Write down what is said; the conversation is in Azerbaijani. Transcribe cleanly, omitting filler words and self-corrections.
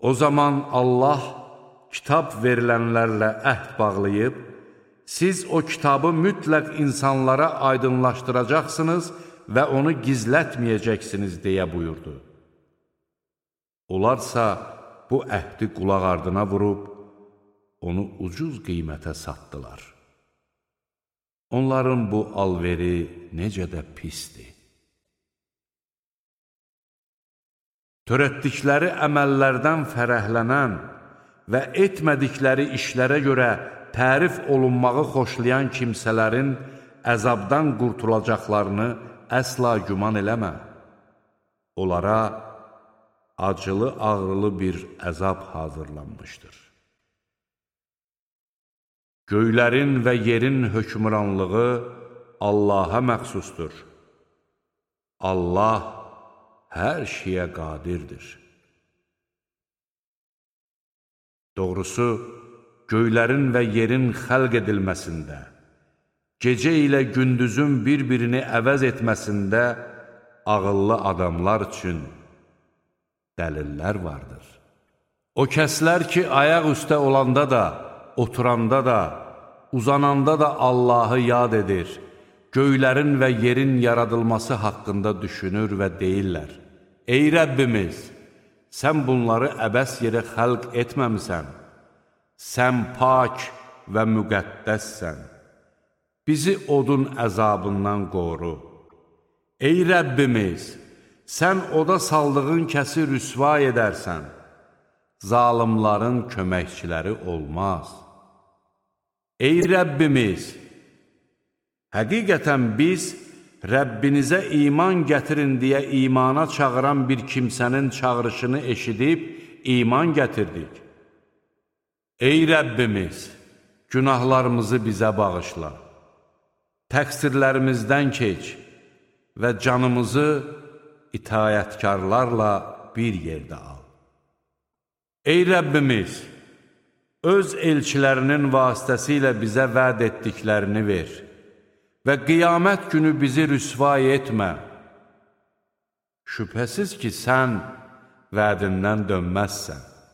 O zaman Allah kitab verilənlərlə əhd bağlayıb, siz o kitabı mütləq insanlara aydınlaşdıracaqsınız və onu gizlətməyəcəksiniz deyə buyurdu. Onlarsa bu əhdi qulaq ardına vurub, onu ucuz qiymətə satdılar. Onların bu alveri necə də pisdir. Törətdikləri əməllərdən fərəhlənən və etmədikləri işlərə görə tərif olunmağı xoşlayan kimsələrin əzabdan qurtulacaqlarını əsla güman eləmə. Onlara acılı-ağrılı bir əzab hazırlanmışdır. Göylərin və yerin hökmranlığı Allaha məxsusdur. Allah hər şeyə qadirdir. Doğrusu, göylərin və yerin xəlq edilməsində, gecə ilə gündüzün bir-birini əvəz etməsində ağıllı adamlar üçün dəlillər vardır. O kəslər ki, ayaq üstə olanda da, oturanda da, uzananda da Allahı yad edir, göylərin və yerin yaradılması haqqında düşünür və deyirlər: Ey Rəbbimiz, sən bunları əbəs yerə xəlq etməmisən, sən pak və müqəddəssən, bizi odun əzabından qoru. Ey Rəbbimiz, sən oda saldığın kəsi rüsva edərsən, zalimların köməkçiləri olmaz. Ey Rəbbimiz, həqiqətən biz Rəbbinizə iman gətirin deyə imana çağıran bir kimsənin çağırışını eşidib iman gətirdik. Ey Rəbbimiz, günahlarımızı bizə bağışla, təqsirlərimizdən keç və canımızı itayətkarlarla bir yerdə al. Ey Rəbbimiz, öz elçilərinin vasitəsilə bizə vəd etdiklərini ver və qiyamət günü bizi rüsvay etmə. Şübhəsiz ki, sən vədindən dönməzsən.